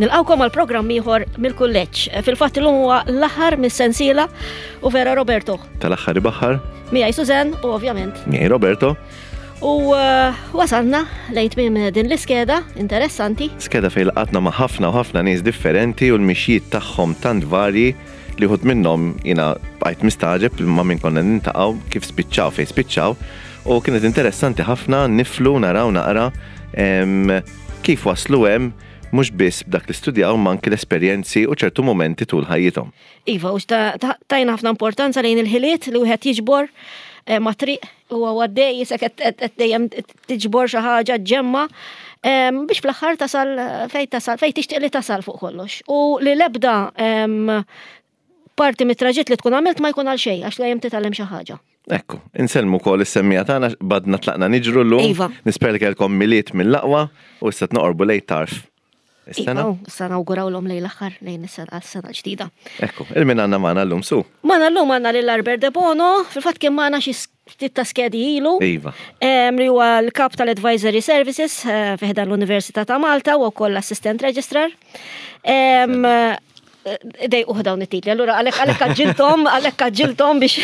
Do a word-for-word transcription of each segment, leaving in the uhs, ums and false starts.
Nilqgħukom għal programm ieħor mill-kulleġġ. Fil-fatt illum huwa l-aħħar mis-sensiela u vera, Roberto. Tal-aħħar ibaħħar. Miegħi Susan u ovvjament. Miegħi Roberto. U uh, wasalna lejn tmiem din l-iskeda interessanti. Skeda fejn ltqajna ma' ħafna u ħafna nies differenti u l-mixjiet tagħhom tant varji li wħud minnhom jiena bqajt mistagħġeb ma' min konna niltaqgħu, kif spiċċaw fejn spiċċaw, u kienet interessanti ħafna niflu naraw naqra kif waslu hemm, mhux biss b'dak li studjaw ma anki l-esperjenzi u ċertu momenti tul ħajjithom. Iva, u tajna ħafna importanza lejn il-ħiliet li wieħed jiġbor eh, ma triq u għaddej jisek qed dejjem tiġbor xi ħaġa ġemma biex fl-aħħar tasal fejn tasal, fejn tixtieq li tasal fuq kollox. U li lebda parti mit-traġitt li tkun għamilt ma jkun għal xejn, għax dejjem titgħallem xi ħaġa. Ekku, insellmu wkoll is-semmiegħa tagħna, badna tlaqna niġru llum. Iva. Nispera li kellkom Milied mill-aqwa u issa noqorbu lejn tarf is-sena. Iva, issa nawgurawlhom lejn l-aħħar, lejn is-sena, sena ġdida. Ekku, lil min għandna magħna llum, Su? Magħna llum għandna lil Albert De Bono, fil-fatt kien magħna xi ftit ta' skedi ilu. Iva. Li huwa l-kap tal-Advisory Services eh, fi ħdan l-Università ta' Malta u wkoll assistant registrar. Dej uħ dawn it-titli, allura għalek għalek għagġiltom, għalek għagġiltom biex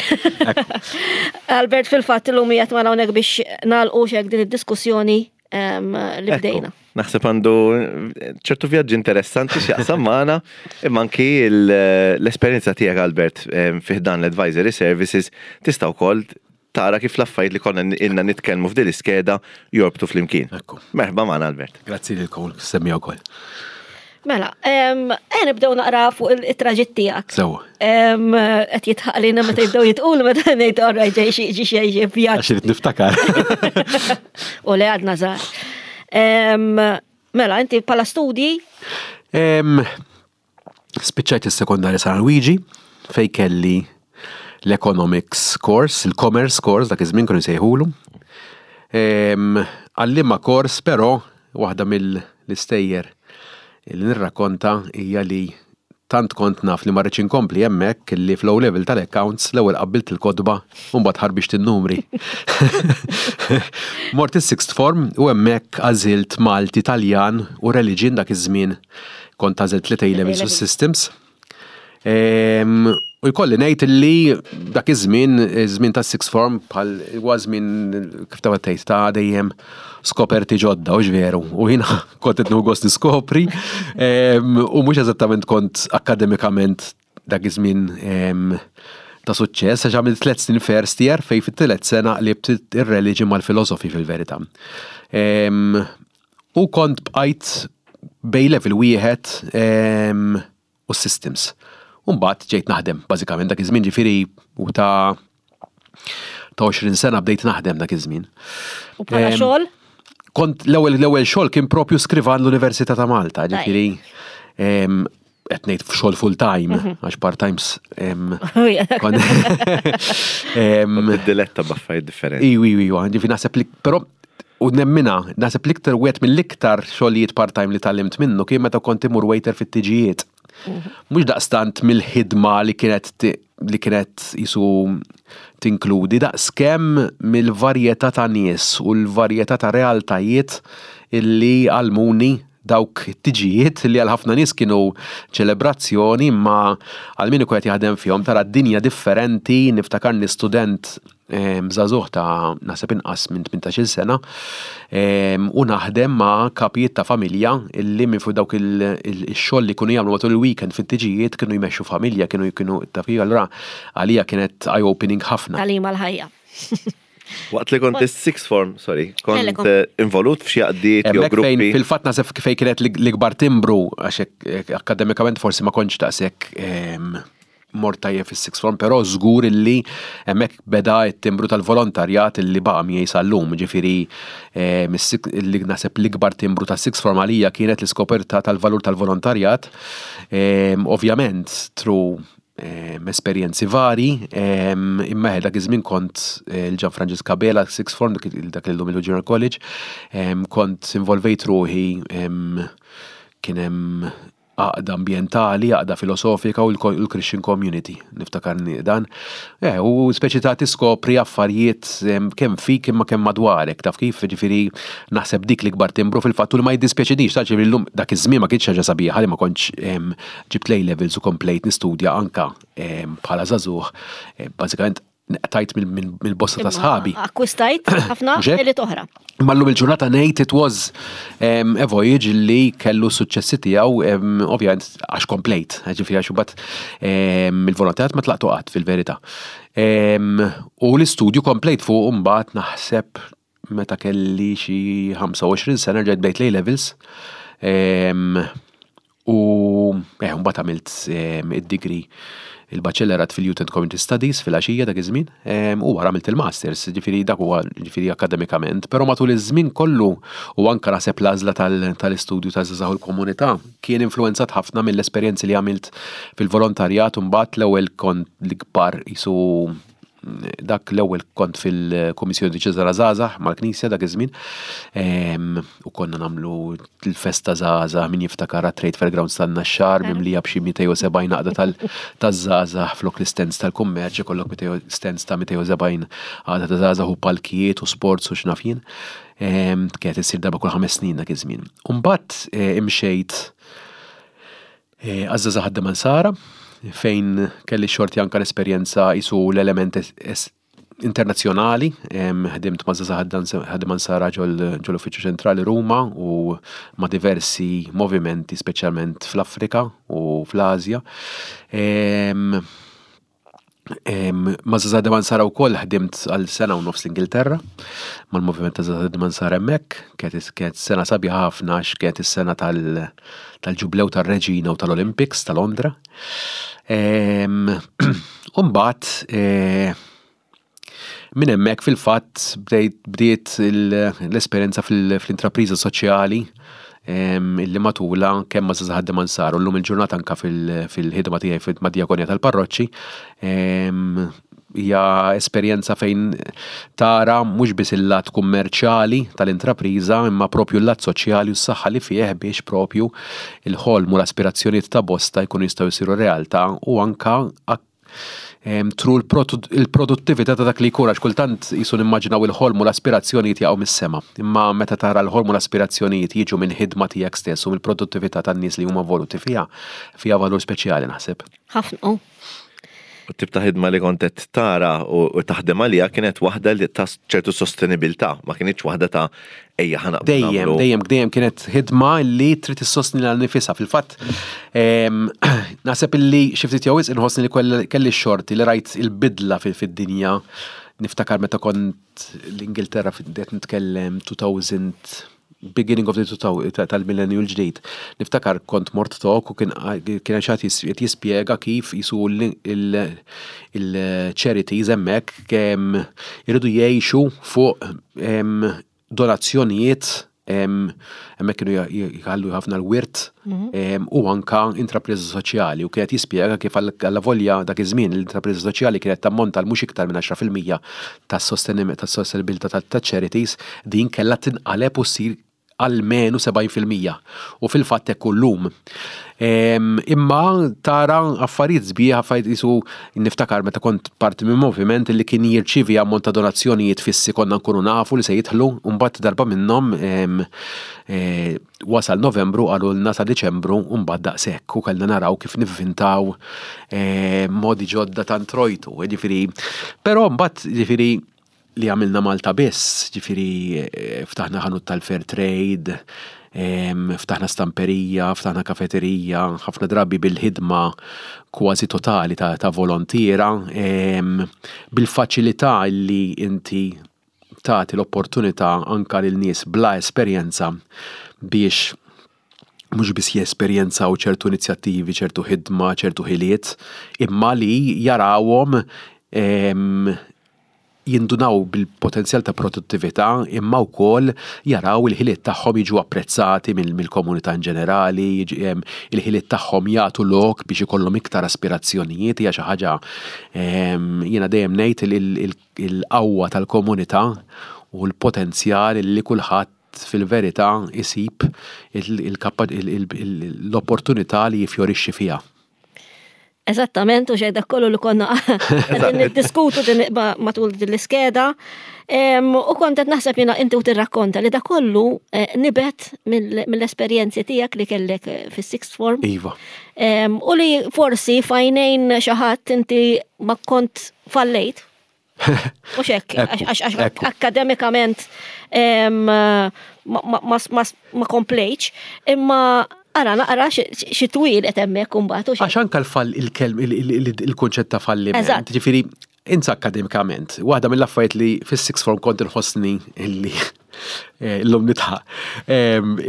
Albert fil-fatt illum qiegħed magħna hawnhekk biex nagħlqu xek din id-diskussjoni li bdejna. Naħseb għandu ċertu vjaġġi interessanti x'jaqsam magħna, imma anki l-esperjenza tiegħek, Albert, fi ħdan l-Advisory Services tista' wkoll tara kif l-affarijiet li konna ilna nitkellmu f'din l-iskeda jorbtu flimkien. Merħba magħna, Albert. Grazzi lilkom, semmi wkoll. Mela, eh nibdew naqra fuq it-traġitt tiegħek. Sewa. Qed jitħaqlina meta jibdew jitqulu meta ngħid orraj ġej xi ġi xi vjaġġ. Għax irid niftakar. U le, għadna żgħar. Mela, inti bħala studji? Spiċċajt is-sekondarja San Luigi fej kelli l-economics course, il-commerce course dak iż-żmien kienu jsejħulu. Għallima course, però waħda mill-istejjer li nirrakkonta hija li tant kont naf li ma rridx inkompli hemmhekk li fl level tal-accounts l-ewwel qabbilt il-kotba u mbagħad ħarbixt in-numri. Mort is-sixth form u hemmhekk għażilt Malti, Taljan u Religion. Dak iż-żmien kont għażilt tliet A-levels u systems. U jkolli ngħid li dak iż-żmien, iż-żmien ta' sixth form bħal huwa żmien, kif ta' tgħid, ta' dejjem skoperti ġodda, u veru. U jiena kont qed gost niskopri u mhux eżattament kont akademikament dak iż-żmien ta' suċċess, għax għamilt tliet snin first year fej fit-tielet sena qlibt ir-religion mal-philosophy fil-verità. U kont bqajt bejn level wieħed u systems. Umbagħad ġejt naħdem, bażikament dak iż-żmien, ġifieri u ta' ta' għoxrin sena bdejt naħdem dak iż-żmien. U bħala xogħol? Kont l-ewwel l-ewwel xogħol kien propju skrivan l-Università ta' Malta, ġifieri qed ngħid f'xogħol full time, mhm. għax part times. Diletta b'affarijiet differenti. Iwi, iwi, ġifieri naħseb li però u nemmina, naħseb l-iktar wieħed mill-iktar xogħlijiet part-time li tgħallimt minnu kien meta kont imur waiter fit-tiġijiet. Mhux daqstant mill-ħidma li kienet li kienet jisu tinkludi, daqs kemm mill-varjetà ta' nies u l-varjetà ta' realtajiet illi għallmuni dawk tiġijiet, li għal ħafna nies kienu ċelebrazzjoni, ma għal min ikun qed jaħdem fihom tara dinja differenti. Niftakarni student żagħżugħ ta' naħseb inqas minn tmintax-il sena u naħdem ma' kapijiet ta' familja illi minn fuq dawk il-xogħol li kienu jagħmlu matul il-weekend fit-tiġijiet kienu jmexxu familja, kienu kienu ta' allura għalija kienet eye-opening ħafna. Tagħlim għal-ħajja. Waqt li kont is-sixth form, sorry, kont eh, involut f'xi għaqdiet jew gruppi? Fil-fatt naħseb fej kienet l-ikbar timbru, għax akademikament forsi ma kontx daqshekk mort tajjeb fis-sixth form, però żgur illi hemmhekk beda t-timbru tal-volontarjat illi baqa' miegħi sal-lum, ġifieri li naħseb l-ikbar timbru tas-sixth form għalija kienet l-iskoperta tal-valur tal-volontarjat, ovvjament through esperjenzi vari, imma dak iż-żmien kont eh, il-Ġan Franġisk Abela Sixth Form, dak illum il-Junior College, kont involvejt ruħi, kien hemm Għaqda Ambientali, Għaqda Filosofika u l-Christian Community, niftakar dan. Eh, u speċi ta' tiskopri affarijiet kemm fik imma kemm madwarek, taf kif, ġifieri naħseb dik l-ikbar timbru fil-fatt u li ma jiddispjaċinix, ta' ġifieri llum, dak iż-żmien ma kienx ħaġa sabiħa li ma kontx ġibt A levels u komplejt nistudja anka bħala żagħżugħ, eh, bażikament tajt mill-bosta ta' sħabi. Akkwistajt ħafna ħiliet oħra. Ma llum il-ġurnata ngħid it was um, a voyage li kellu suċċessi tiegħu, um, ovvjament għax komplejt, ġifieri għax imbagħad um, il-volontariat ma tlaqtu qatt fil-verità. Um, u l-istudju komplejt fuq mbagħad, naħseb meta kelli xi ħamsa u għoxrin sena ġejt bdejt A levels. Um, u eh, mbagħad għamilt um, id-degree, il-baċellerat fil-Youth and Community Studies fil-għaxija dak iż-żmien, u wara għamilt il-masters, ġifieri dak huwa ġifieri akademikament, però matul iż-żmien kollu u anka naħseb l-għażla tal-istudju ta' żgħażagħ il-komunità kien influenzat ħafna mill-esperjenzi li għamilt fil-volontarjat. U mbagħad l-ewwel kont l-ikbar jisu dak l-ewwel kont fil-Kummissjoni Djoċesana Żgħażagħ mal-Knisja dak iż-żmien. U konna nagħmlu l-festa żgħażagħ, min jiftakar, Trade Fair Grounds tan-Naxxar mimlija b'xi mitejn u sebgħin għaqda taż-żgħażagħ flok l-stands tal-kummerċ, ikollok stands ta' mitejn u sebgħin għaqda ta' żgħażagħ u palkijiet u sports u x'naf jien. Kienet issir darba kull ħames snin dak iż-żmien. U mbagħad eh, imxejt eh, għaż-żgħażagħ ħaddiema Nsara, fejn kelli xorti anka l-esperjenza jisu l-element internazzjonali, ħdimt ma' żgħażagħ ħaddiema Nsara ġol-Uffiċċju Ċentrali Ruma u ma' diversi movimenti, speċjalment fl-Afrika u fl-Azja. Ma' żgħażagħ ħaddiema Nsara wkoll ħdimt għal sena u nofs l-Ingilterra, mal-moviment ta' żgħażagħ ħaddiema Nsara hemmhekk, kienet sena sabiħa ħafna għax kienet is-sena tal-ġublew tar-Reġina u tal-Olympics ta' Londra. U mbagħad eh, minn hemmhekk fil-fatt bdiet l-esperjenza fl-intrapriża soċjali illi matula kemm ma' żgħażagħ ħaddiema Nsara u llum il-ġurnata anka fil-ħidma tiegħi ma' djakonija tal-parroċċi hija esperjenza fejn tara mhux biss il-lat kummerċjali tal-intrapriża imma propju l-lat soċjali u s-saħħa li fih biex propju il-ħolm u l-aspirazzjonijiet ta' bosta jkunu jistgħu jsiru realtà u anka through il-produttività ta' dak li jkun, għax kultant jisu nimmaġinaw il-ħolm u l-aspirazzjonijiet jaqgħu mis-sema. Imma meta tara l-ħolm u l-aspirazzjonijiet jiġu minn ħidma tiegħek stess u mill-produttività tan-nies li huma voluti fiha, fiha valur speċjali naħseb. Ħafna. U tip ta' ħidma li kont qed tara u taħdem għalija kienet waħda li ta' ċertu sostenibilità, ma kienx waħda ta' ejja ħana. Dejjem, dejjem, dejjem kienet ħidma li trid issostni lilha nnifisha. Fil-fatt, naħseb illi xi ftit jew inħossni li kelli xorti li rajt il-bidla fid-dinja. Niftakar meta kont l-Ingilterra, qed nitkellem elfejn, beginning of the two thousand tal-millennium l-ġdid. Niftakar kont mort talk u kien kien xi ħadd jispjega kif jisu il-charities hemmhekk kemm iridu jgħixu fuq donazzjonijiet, hemmhekk kienu jħallu ħafna l-wirt mhm. u anka intrapriża soċjali, u kienet jispjega kif għalla volja dak iż-żmien l-intrapriża soċjali kienet tammonta l mhux iktar minn għaxra fil-mija tas-sostenibilità ta' charities, din kellha tinqaleb u ssir almenu sebgħin fil-mija. U fil-fatt hekk llum. Imma tara affarijiet sbieħ, affarijiet jisu niftakar meta kont parti minn moviment li kien jirċivi ammont ta' donazzjonijiet fissi, konna nkunu nafu li se jidħlu, u mbagħad darba minnhom e, wasal Novembru, qalulna sa Diċembru u mbagħad daqshekk, u kellna naraw kif nivvintaw modi ġodda ta' introjtu. Ġifieri, però mbagħad ġifieri li għamilna Malta biss, ġifieri eh, ftaħna ħanut tal-fair trade, ftaħna stamperija, ftaħna kafeterija, ħafna drabi bil-ħidma kważi totali ta', ta volontiera, bil-faċilità li inti tagħti l-opportunità anka lil nies bla esperjenza biex mhux biss jesperjenzaw ċertu inizjattivi, ċertu ħidma, ċertu ħiliet, imma li jarawhom jindunaw bil-potenzjal ta' produttività imma wkoll jaraw il-ħiliet tagħhom jiġu apprezzati mill-komunità in ġenerali, il-ħiliet tagħhom jagħtu lok biex ikollhom iktar aspirazzjonijiet. Hija xi ħaġa, jiena dejjem ngħid, il-qawwa tal-komunità u l-potenzjal li kulħadd kulħadd fil-verità isib l-opportunità li jifjorixxi fiha. Eżattament, u xej dak kollu li konna qegħdin niddiskutu matul din l-iskeda. U kont qed naħseb jiena inti u tirrakkonta li dak kollu eh, nibet mill-esperjenzi tiegħek li kellek eh, fis-sixth form. Iva. U li forsi f'għajnejn xi ħadd inti ma kont fallejt. U xek, għax akademikament ma komplejtx, imma ara naqra xi twil qed hemmhekk imbagħad. Għax anke l-fall il-kelm il-kunċett ta' falliment. Ġifieri insa akademikament, waħda mill-affarijiet li fis-sixth form kont inħossni illi eh, illum nidħaq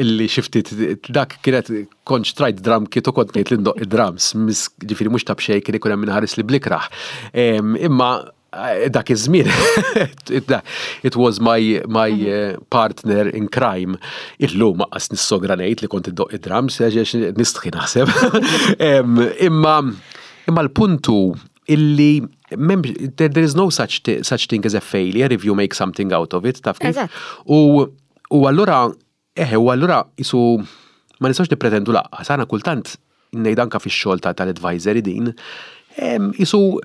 illi xi ftit dak kienet kont xtrajt drum kit u kont ngħid li ndoqq id-drums, ġifieri mhux ta' b'xejn kien ikun hemm min iħares li bl-ikrah. Imma eh, dak iż-żmien it was my my eh, partner in crime. Illum lanqas nissogra ngħid li kont iddoqq id-drums, għax nistħi naħseb. Imma imma l-puntu illi there, there is no such, such thing as a failure if you make something out of it, taf kif? U, u allura, eħe, u allura isu ma nistax nipretendu lanqas, għana kultant ngħid anka fix-xogħol tal-advisory din, isu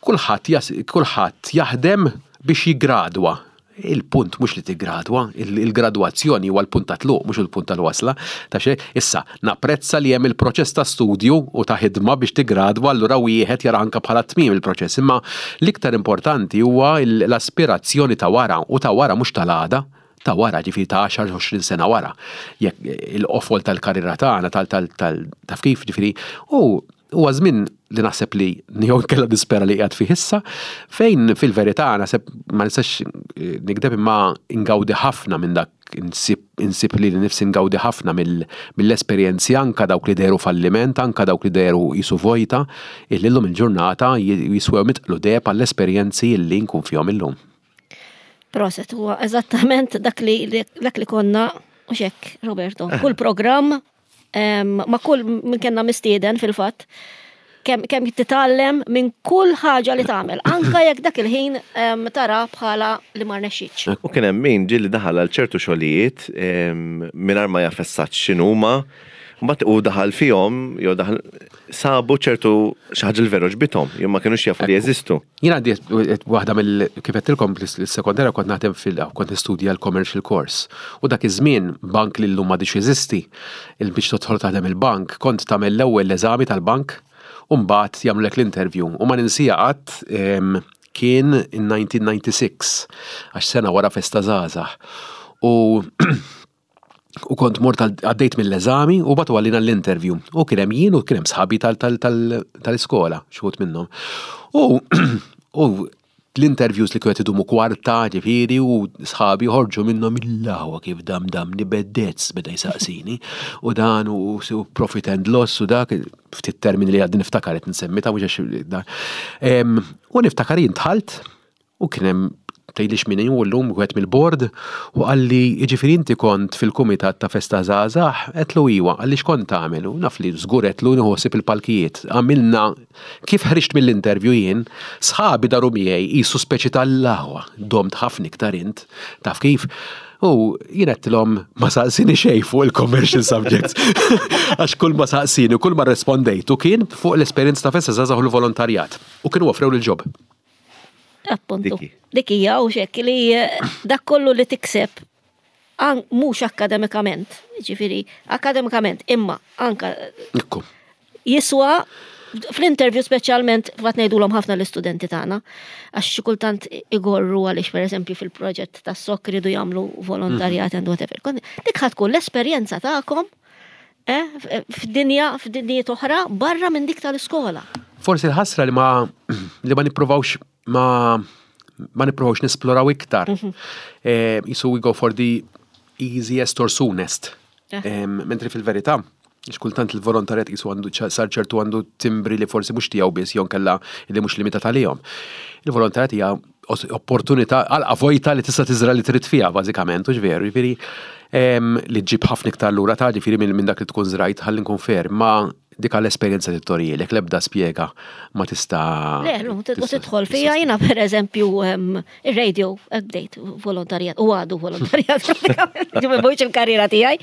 kulħadd kulħadd jaħdem biex jiggradwa. Il-punt mhux li tiggradwa, il-gradwazzjoni huwa l-punt ta' tluq, mhux il-punt tal-wasla. Ta' xejn, issa, napprezza li hemm il-proċess ta' studju u ta' ħidma biex tiggradwa, allura wieħed jara anka bħala tmiem il-proċess. Imma l-iktar importanti huwa l-aspirazzjoni ta' wara u ta' wara mhux tal-għada ta' wara, ġifieri ta' għaxar għoxrin sena wara. Jekk il-qofol tal-karriera tagħna tal tal tal taf kif ġifieri u huwa żmien li naħseb li jew kella nispera li qiegħed fih issa, fejn fil-verità naħseb ma nistax eh, nikdeb imma ingawdi ħafna minn dak insib, insib li nifsi ngawdi ħafna mill-esperjenzi anka dawk li deru falliment, anka dawk li deru jisu vojta, illi llum il-ġurnata jiswew mitqlu deheb għall-esperjenzi illi nkun fihom illum. Proset, huwa eżattament dak li dak li konna u xek, Roberto, kull programm ma kull minn kellna mistieden fil-fatt, kemm kem titgħallem minn kull ħaġa li tagħmel, anka jekk dak il-ħin tara bħala li ma rnexxitx. U kien hemm min ġieli daħal għal ċertu xogħlijiet mingħajr ma jaf eżatt x'inhuma, mbagħad u daħal fihom jew daħal sabu ċertu xi ħaġa li veru għoġbithom, jew ma kinux jafu li jeżistu. Jien għandi waħda mill kif għedtilkom l-sekondarja kont naħdem fil kont nistudja l-commercial course. U dak iż-żmien bank li llum m'għadix jeżisti, il biex tidħol taħdem il-bank, kont tagħmel l-ewwel eżami tal-bank u mbagħad jagħmlek l-interview. U ma ninsija qatt kien in elf disa' mija u disgħa u disgħin, għax sena wara Festa Żgħażagħ. U u kont mort għaddejt mill-eżami u bagħtu għalina l-interview. U kien hemm jien u kien hemm sħabi tal-iskola, xi minnhom. U u l-interviews li kienet idumu kwarta, ġifieri, u sħabi ħorġu minnhom il-laħwa kif dam dam nibeddez beda jsaqsini. U dan u profit and loss u dak, ftit termini li għadni niftakar qed nsemmi ta' mhux da. U niftakar jien dħalt u kien hemm tgħidlix min hu llum wieħed mill-board u qalli jiġifieri inti kont fil-kumitat ta' Festa Żgħażagħ, għedtlu iwa, qalli x'kont tagħmel u naf li żgur għedtlu nieħu ħsieb il-palkijiet. Għamilna kif ħriġt mill-interview jien, sħabi daru miegħi qisu speċi tal-laħwa, domt ħafna iktar int, taf kif? U jien għedtilhom ma saqsini xejn fuq il-commercial subjects. Għax kull ma saqsini u kull ma rrispondejtu kien fuq l-esperjenza ta' Festa Żgħażagħ u l-volontarjat. U kienu offrew l-job. Appuntu. Dik hija u xek li eh, dak kollu li tikseb mhux akademikament, ġifieri akademikament, imma anka Ekku. jiswa fl-interview speċjalment vat ngħidulhom ħafna l-istudenti tagħna għax xi kultant igorru għaliex pereżempju fil-proġett tas-S O K ridu jagħmlu volontarjat and whatever. Dik ħa tkun l-esperjenza tagħkom eh, f'dinja f'dinjiet oħra barra minn dik tal-iskola. Forsi l-ħasra li ma li ma nipprovawx ma ma nipprovawx nisploraw iktar. Eh, Isu we go for the easiest or soonest. Eh. Em, Mentri fil-verità, kultant il-volontarjat jisu għandu ċa- sar ċertu għandu timbri li forsi mhux tiegħu biss jew kella li mhux limitat għalihom. Il-volontarjat hija os- opportunità għal vojta li tista' tiżra li trid fiha bażikament, u veru, jiġifieri em, li ġġib ħafna iktar lura ta' ġifieri minn minn dak li tkun żrajt ħalli nkun fair, ma Dik l-esperjenza li torijilek, l-ebda spjega ma tista'. Le, u tidħol fija. Jiena per eżempju ir-radio bdejt volontarjat, u għadu volontarjat pratikament, ġifieri il-karriera tiegħi.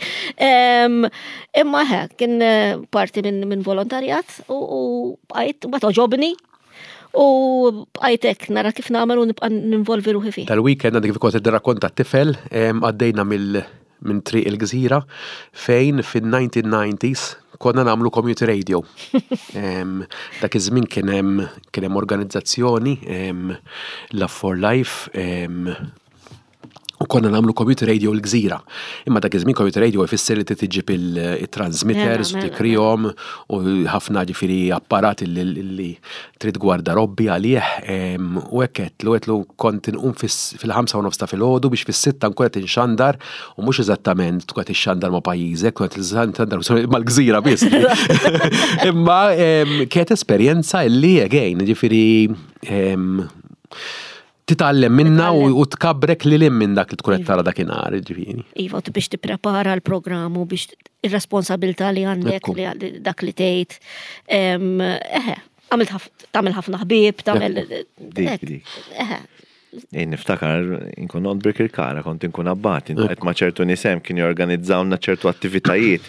Imma he, kien eh, parti minn volontarjat u bqajt, ma togħġobni u bqajt hekk nara kif nagħmel u nibqa' ninvolvi ruħi fih. Tal-weekend għandek kif kont tirrakkonta t-tifel, għaddejna mill minn Triq il-Gżira fejn fin-nineteen nineties konna nagħmlu community radio. Dak iż-żmien kien hemm kien hemm organizzazzjoni, Love for Life, u konna nagħmlu community radio l-Gżira. Imma dak iż-żmien community radio jfisser li tiġib il-transmitters u tikrihom u ħafna, ġifieri, apparati li trid gwardarobbi għalih, u hekk għedtlu għedtlu kont inqum fil-ħamsa u nofs ta' filgħodu biex fis-sitta nkun qed inxandar, u mhux eżattament tkun qed ixxandar ma' pajjiżek, tkun qed ixxandar mal-Gżira biss. Imma kienet esperjenza illi again, ġifieri, titgħallem minna u tkabrek li lim minn dak li tkun qed tara dakinhar, ġifieri. Iva, biex tipprepara l-programm u biex ir-responsabilità li għandek li dak li tgħid. Eħe, tagħmel ħafna ħbieb, tagħmel. Dik, dik. Eħe. Jien niftakar, inkun noqgħod Birkirkara, kont inkun abbat, qed ma' ċertu nies hemm kien jorganizzawna ċertu attivitajiet.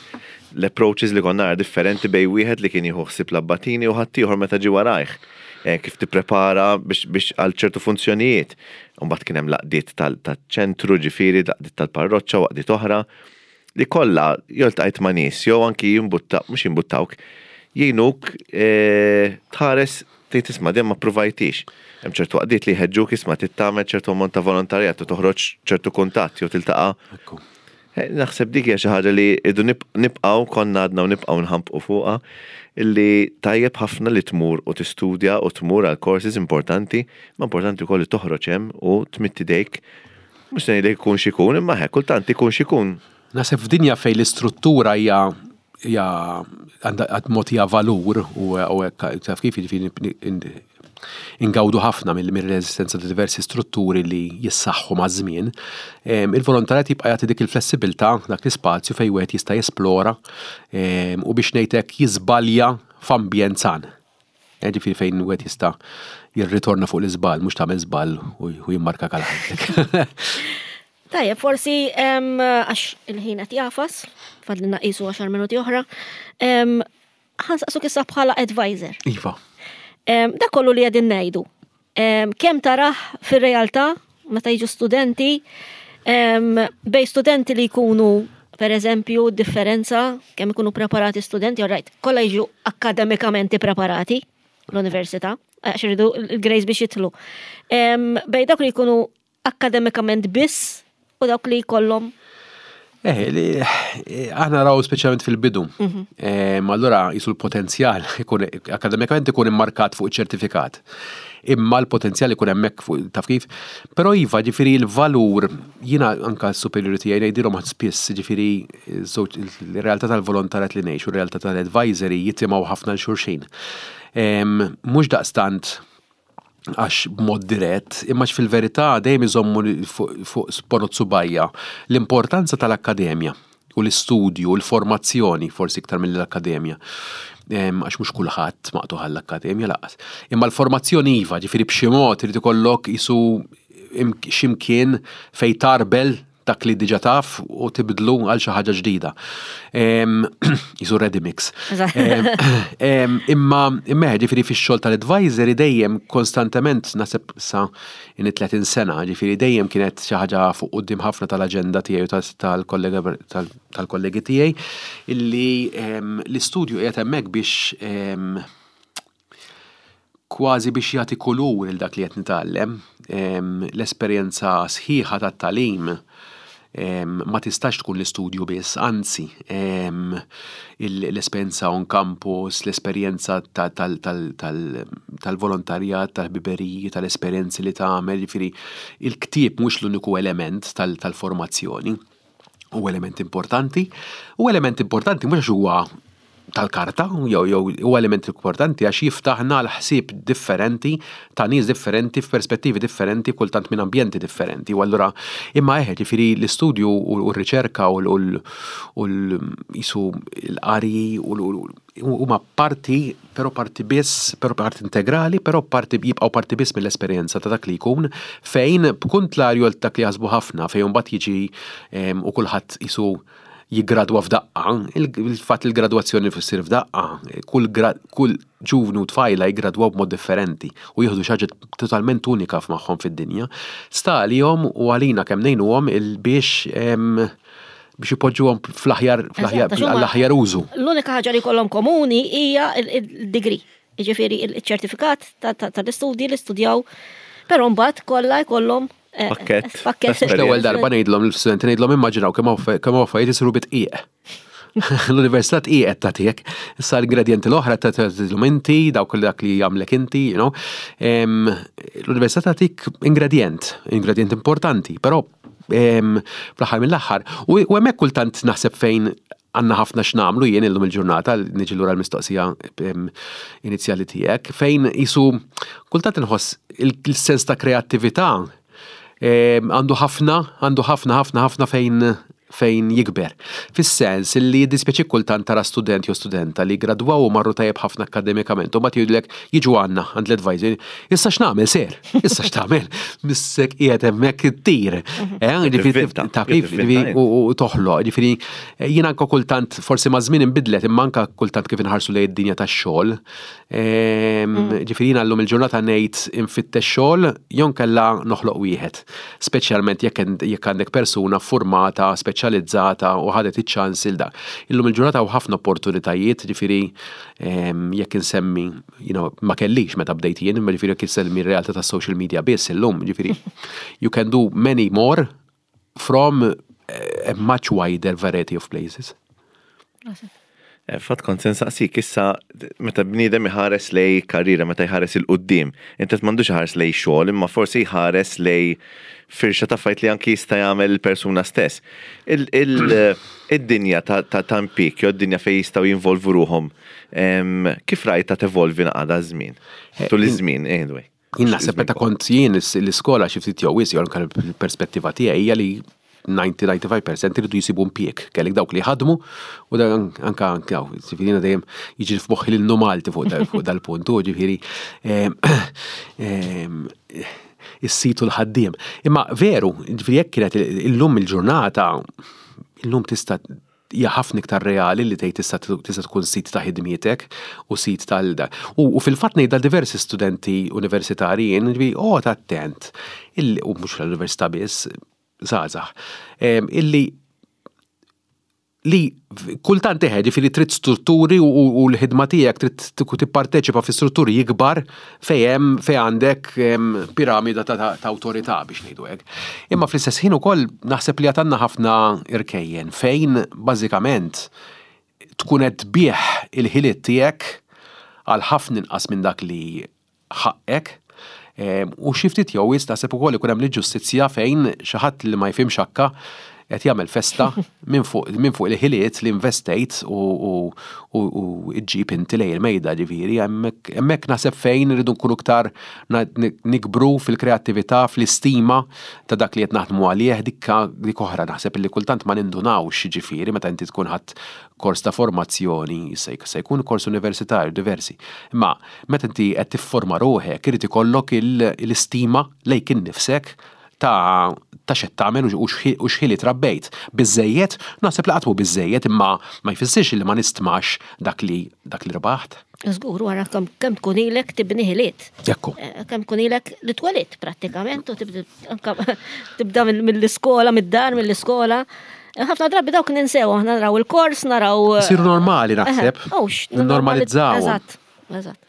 L-approaches li konna differenti bejn wieħed li kien jieħu ħsieb l-abbatini u ħaddieħor meta ġi warajh. Eh, kif tipprepara biex għal ċertu funzjonijiet. Mbagħad kien hemm l-għaqdiet tal-ċentru, ġifieri, l-għaqdiet tal-parroċċa u għaqdiet oħra li kollha jew iltqajt ma' nies jew anki jimbutta, mhux jimbuttawk, jgħinuk eh, tħares tgħid, "Isma', dejjem ma provajtix." Hemm ċertu għaqdiet li jħeġġuk, isma', tagħmel ċertu ammont ta' volontarjat u toħroġ ċertu kuntatt jew tiltaqa'. Eh, naħseb dik hija xi ħaġa li idu nibqgħu konna għadna u nibqgħu nħampqu fuqha, illi tajjeb ħafna li tmur u tistudja u tmur għal courses importanti, ma importanti wkoll li toħroġ hemm u tmidd idejk. Mhux se ngħidlek ikun x'ikun, imma hekk kultant ikun x'ikun. Naħseb f'dinja fejn l-istruttura hija hija għandha mod hija valur u taf kif, jiġifieri, ingawdu ħafna mill-reżistenza ta' diversi strutturi li jissaħħu maż-żmien. Il-volontarjat jibqa' jagħti dik il-flessibilità, dak l-ispazju fejn wieħed jista' jesplora u, biex ngħidlek, jiżbalja f'ambjent san. Ġifieri fejn wieħed jista' jirritorna fuq l-iżball, mhux tagħmel żball u jimmarka għal ħajtek. Tajjeb, forsi għax il-ħin qed jagħfas, fadlilna qisu għaxar minuti oħra, ħa nsaqsuk issa bħala advisor. Iva. Dak kollu li qegħdin ngħidu. Kemm tarah fir-realtà meta jiġu studenti, bejn studenti li jkunu, per eżempju, differenza kemm ikunu preparati studenti, all right, kollha jiġu akademikament preparati l-università, għax iridu il-grades biex jidħlu. Bejn dawk li jkunu akademikament biss u dawk li jkollhom Eh, eh, aħna raw speċjalment fil-bidu. Mhm. Eh, allura jisu l-potenzjal ikun akademikament ikun immarkat fuq ċertifikat. Imma l-potenzjal ikun hemmhekk fuq, taf kif. Però iva, ġifieri, l-valur, jiena anka s-superiority tiegħi ngħidilhom spiss, ġifieri, żewġ il-realtà tal-volontarjat li ngħix u r-realtà tal-advisory jitimgħu ħafna 'l xulxin. Mhux daqstant għax b'mod dirett, imma fil-verità dejjem iżommu fuq ponot subgħajja l-importanza tal-akkademja u l-istudju, u l-formazzjoni, forsi iktar mill-akkademja. Għax mhux kulħadd maqtugħ għall-akkademja lanqas. Imma l-formazzjoni iva, ġifieri, b'xi mod irid ikollok isu x'imkien fej tgħarbel dak li diġà taf u tibdlu għal xi ħaġa ġdida. Jisu ready mix. Imma imma ġifieri fix-xogħol tal-advisory dejjem konstantement, naħseb sa in tletin sena, ġifieri, dejjem kienet xi ħaġa fuq quddiem ħafna tal-aġenda tiegħi u tal-kollega tal-kollegi tiegħi illi l-istudju qiegħed hemmhekk biex kważi biex jagħti kulur il dak li qed nitgħallem. L-esperjenza sħiħa tat-tagħlim ma tistax tkun l-istudju biss, anzi, l-esperjenza on campus, l-esperjenza tal-volontarjat, tal-ħbiberiji, tal-esperjenzi li tagħmel, ġifieri il-ktieb mhux l-uniku element tal-formazzjoni. U element importanti, u element importanti mhux għax huwa tal-karta, jew jew huwa element importanti għax jiftaħna l-ħsieb differenti ta' nies differenti f'perspettivi differenti, kultant minn ambjenti differenti. U allura imma eħe, ġifieri l-istudju u r-riċerka u l-jisu l-qari u huma parti, però parti biss, però parti integrali, però parti jibqgħu parti biss mill-esperjenza ta' dak li jkun, fejn b'kuntrarju għal dak li jaħsbu ħafna, fejn mbagħad jiġi u kulħadd jisu jiggradwa f'daqqa, il-fatt il-gradwazzjoni fissir f'daqqa, kull kull ġuvnu tfajla jiggradwaw b'mod differenti u jieħdu xi ħaġa totalment unika f'magħhom fid-dinja. Sta għalihom u għalina kemm ngħinuhom il biex biex ipoġġuhom fl-aħjar fl-aħjar użu. L-unika ħaġa li kollhom komuni hija il-degree. Jiġifieri il-ċertifikat tal-istudji li studjaw, però mbagħad kollha jkollhom eh, Pakket. Pakket. L-ewwel darba ngħidlhom l-studenti, ngħidlhom immaġinaw kemm kemm affarijiet isiru bit-dqiq. L-università tqiegħed tagħtik. Issa l-ingredienti l-oħra tagħtilhom inti, dawk dak li jagħmlek inti, you know. L-università tagħtik ingredient, ingredient importanti, però fl-aħħar mill-aħħar. U hemmhekk kultant naħseb fejn għandna ħafna x'nagħmlu jien illum il-ġurnata, niġi lura l-mistoqsija inizjali tiegħek, fejn jisu kultant inħoss il-sens ta' kreattività għandu ħafna, għandu ħafna, ħafna, ħafna fejn fejn jikber. Fis-sens li jiddispjaċi kultant tara student jew studenta li gradwaw u marru tajjeb ħafna akademikament u mbagħad jgħidlek jiġu għandna għand l-advisor, "Issa x'nagħmel, sir? Issa x'tagħmel? Missek qiegħed hemmhekk ittir." Eh, ġifieri ta' kif u toħloq, ġifieri jien anke kultant forsi ma' żmien inbidlet, imma anke kultant kif inħarsu lejn id-dinja tax-xogħol. Ġifieri jiena llum il-ġurnata ngħid infittex xogħol jew kella noħloq wieħed. Speċjalment jekk għandek persuna formata, speċjalizzata u ħadet iċ-ċans il dak. Illum il-ġurnata u ħafna opportunitajiet, ġifieri jekk insemmi, you know, ma kellix meta bdejt jien, imma ġifieri jekk insemmi r-realtà tas social media biss illum, ġifieri you can do many more from a much wider variety of places. Eh, fatt kont se nsaqsik issa, meta bniedem iħares lej karriera, meta jħares il-qoddim, inti m'għandux iħares lej xogħol, imma forsi jħares lej firxa ta' fajt li anki jista' jagħmel il-persuna stess. Id-dinja ta' impjieg, jew id-dinja fejn jistgħu jinvolvu ruhom, kif rajta tevolvi naqada żmien? Eh, Tul iż-żmien, anyway. Jien naħseb meta kont jien l-iskola xi ftit jew wisq, jew anke l-perspettiva tiegħi hija li disgħin disgħa u disgħin fil-mija iridu jisibu impjieg. Kellek dawk li ħadmu u dan anka anka ġifieri jiena dejjem jiġi f'moħħi l Malti fuq fuq dal-punt, u ġifieri is-situ l-ħaddiem. Imma veru, ġifieri jekk kienet illum il-ġurnata, illum tista' hija ħafna iktar reali li tgħid tista' tista' tkun sit ta' ħidmietek u sit tal U, u fil-fatt ngħid diversi studenti universitarji jien, ġifieri oh attent, u mhux l-università biss, żgħażagħ, illi li kultant teħe, ġifieri trid strutturi u, u l-ħidma tiegħek trid tipparteċipa fi strutturi jikbar fejn fej għandek piramida ta', ta, ta' awtorità biex ngħidu hekk. Imma fl-istess ħin ukoll naħseb li għatanna ħafna irkejjen fejn bażikament tkun qed tbigħ il-ħiliet tiegħek għal ħafna inqas minn dak li ħaqqek. U xi ftit jew naħseb ukoll ikun hemm l-ġustizzja fejn xi ħadd li ma jifhimx hakka qed jagħmel festa minn fuq minn fuq il-ħiliet li investejt u u u ġġib inti lejn il-mejda. Ġifieri hemmhekk naħseb fejn irridu nkunu iktar nikbru fil-kreattività, fl-istima ta' dak li qed naħdmu għalih. Dikka dik oħra naħseb li kultant ma nindunawx, ġifieri meta inti tkun ħadd kors ta' formazzjoni, se jkun kors universitarju diversi. Imma meta inti qed tifforma ruħek, irid ikollok l-istima lejk innifsek ta' ta' x'qed tagħmel u x'ħiliet rabbejt. Biżejjed, naħseb li qatt mhu biżejjed, imma ma jfissirx li ma nistmax dak li dak li rbaħt. Żgur, wara kemm tkun ilek tibni ħiliet. Ekku. Eh, kemm tkun ilek li twelidt prattikament u tibda mill-iskola, mid-dar, mill-iskola. Ħafna drabi dawk ninsew, aħna naraw il-kors, naraw. Isiru normali naħseb. Normalizzaw. Eżatt, eżatt.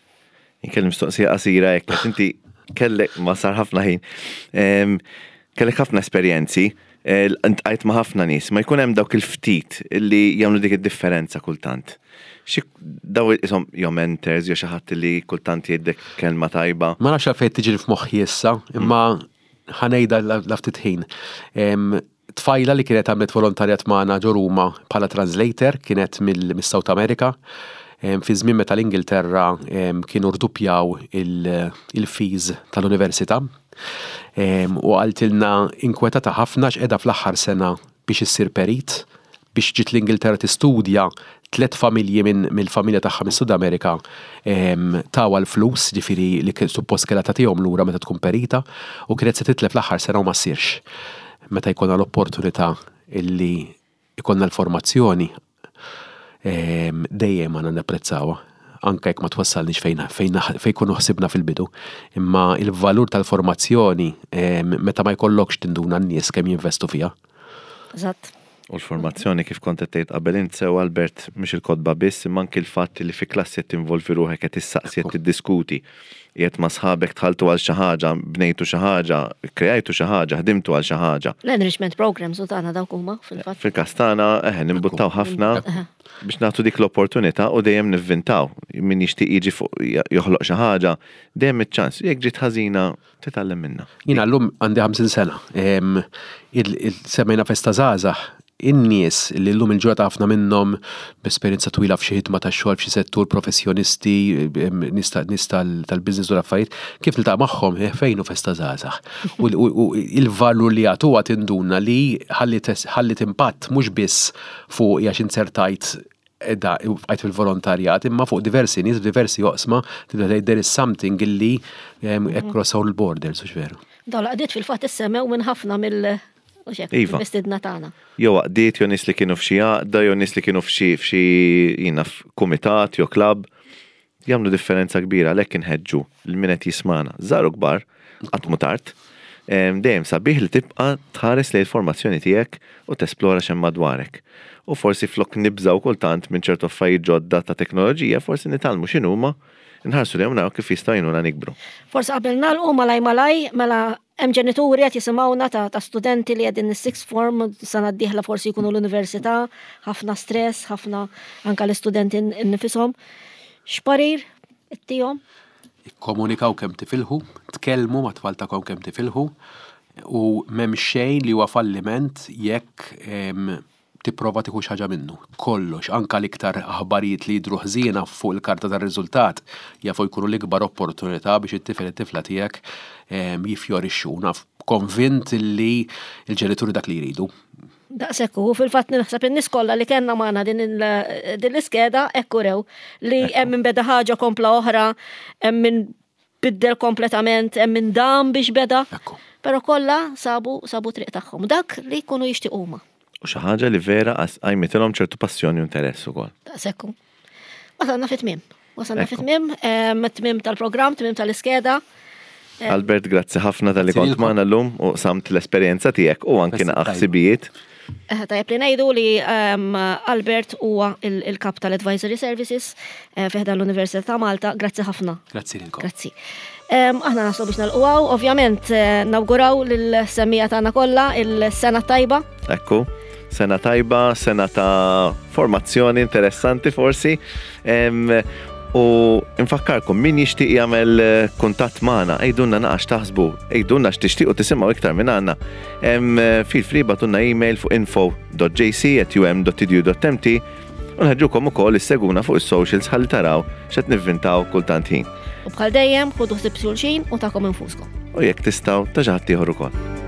Inkellem mistoqsija qasira hekk, inti kellek ma sar ħafna ħin. Kellek ħafna esperjenzi, iltqajt ma' ħafna nies, ma jkun hemm dawk il-ftit illi jagħmlu dik id-differenza kultant. Xi daw isom jew mentors jew xi ħadd li kultant jgħidlek kelma tajba. Ma nafx għalfejn tiġi f'moħħi issa, imma ħa ngħidha la ftit ħin. Tfajla li kienet għamlet volontarjat magħna ġo Ruma bħala translator, kienet mill-South America. Fi żmien meta l-Ingilterra kienu rduppjaw il-fees tal-università. U qaltilna inkwetata ħafna x'qegħda fl-aħħar sena biex issir perit, biex ġiet l-Ingilterra tistudja, tlet familji minn mill-familja tagħha mis-Sud Amerika tawha l-flus, ġifieri li suppost kellha tagħtihom lura meta tkun perita, u kienet se titlef l-aħħar sena u ma ssirx. Meta jkollna l-opportunità illi jkollna l-formazzjoni, dejjem għandna napprezzawha, anke jekk ma twassalniex fejn fejn fejn kunu ħsibna fil-bidu. Imma il-valur tal-formazzjoni, meta ma jkollokx tinduna n-nies kemm jinvestu fiha. Eżatt. U l-formazzjoni, kif kont qed tgħid qabel int sew, Albert, mhux il-kotba biss, imma anki l-fatt li fi klassi qed tinvolvi ruħek, qed tissaqsi, qed tiddiskuti. Qiegħed ma' sħabek, dħaltu għal xi ħaġa, bnejtu xi ħaġa, kreajtu xi ħaġa, ħdimtu għal xi ħaġa. L-enrichment programs u tagħna dawk huma fil-fatt. Fil-każ tagħna eħe nimbuttaw ħafna biex nagħtu dik l-opportunità u dejjem nivvintaw. Min jixtieq jiġi fuq joħloq xi ħaġa, dejjem iċ-ċans. Jekk ġiet ħażina, titgħallem minnha. Jiena llum għandi ħamsin sena. Semmejna Festa Żgħażagħ, in-nies li llum il-ġurnata ħafna minnhom b'esperjenza twila f'xi ħidma ta' xogħol f'xi settur, professjonisti, nies tal-business u l-affarijiet, kif niltaqa' magħhom, eh, fejn hu Festa Żgħażagħ? U il-valur li jagħtuha tinduna li ħallit impatt mhux biss fuq għax inzertajt da għajt fil-volontarjat, imma fuq diversi nies f'diversi oqsma, tibda tgħid there is something illi across all borders, u veru. Dawn l-għaqdiet fil-fatt issemmew minn ħafna mill- Iva. Mistiedna tagħna. Jew għaqdiet, jew nies li kienu f'xi għaqda, jew nies li kienu f'xi f'xi jiena f'kumitat jew klabb, jagħmlu differenza kbira. Għalhekk inħeġġu lil min qed jismana. Żgħar u kbar, qatt mhu tard. Dejjem sabiħ li tibqa' tħares lejn il-formazzjoni tiegħek u tesplora x'hemm madwarek. U forsi flok nibżaw kultant minn ċertu affarijiet ġodda ta' teknoloġija, forsi nitgħallmu x'inhuma, nħarsu lejhom, naraw kif jistgħu jgħinuna nikbru. Forsi qabel nagħlqu malaj malaj, mela hemm ġenituri qed jisimgħuna ta', ta' studenti li qegħdin is-sixth form, sena d-dieħla forsi jkunu l-università, ħafna stress, ħafna anka l-istudenti nnifisom. X'parir ittihom? Ikkomunikaw kemm tifilħu, tkellmu ma' tfal tagħkom kemm tifilħu, u m'hemm xejn li huwa falliment jekk tipprova tieħu xi ħaġa minnu. Kollox, anka l-iktar aħbarijiet li jidhru ħżiena fuq il-karta tar-riżultat jafu jkunu l-ikbar opportunità biex it-tifel, it-tifla tiegħek jiffjorixxu. Naf konvint li l-ġenituri dak li jridu. Daqshekk u fil-fatt naħseb in-nies kollha li kellna magħna din din l-iskeda hekk urew li hemm min beda ħaġa kompla oħra, hemm min biddel kompletament, hemm min dam biex beda. Ekku. Però kollha sabu sabu triq tagħhom. Dak li jkunu jixtiequ huma. U xi ħaġa li vera qajmitilhom ċertu passjoni u interess ukoll. Daqshekk. Wasalna fit-tmiem. Wasalna Ekku. fit-tmiem, tmiem tal-programm, tmiem tal-iskeda. Albert, grazzi ħafna talli Grazzi kont lilkom. magħna llum u qsamt l-esperjenza tiegħek u anki Festa naqa' tajba. ħsibijiet. Eh, Tajjeb li ngħidu li um, Albert huwa il- il-kap tal-Advisory Services eh, fi ħdan l-Università ta' Malta. Grazzi ħafna. Grazzi lilkom. Grazzi. Um, aħna naslu biex nagħlqu, ovvjament eh, nawguraw lill-semmiegħa tagħna kollha il-sena tajba. Ekku, sena tajba, sena ta' formazzjoni interessanti forsi. Em, U nfakkarkom, min jixtieq jagħmel eh, kuntatt magħna, għidulna naqra x'taħsbu, għidulna x'tixtiequ tisimgħu iktar minn għandna. Em, Feel free ibagħtulna email fuq info dot J C at U M dot edu dot M T u nħeġġukom ukoll issegwuna fuq is-socials ħalli taraw x'qed nivvintaw kultant ħin. U bħal dejjem ħudu ħsieb xulxin u tagħkom infuskom. U jekk tistgħu ta' xi ħadd ieħor ukoll.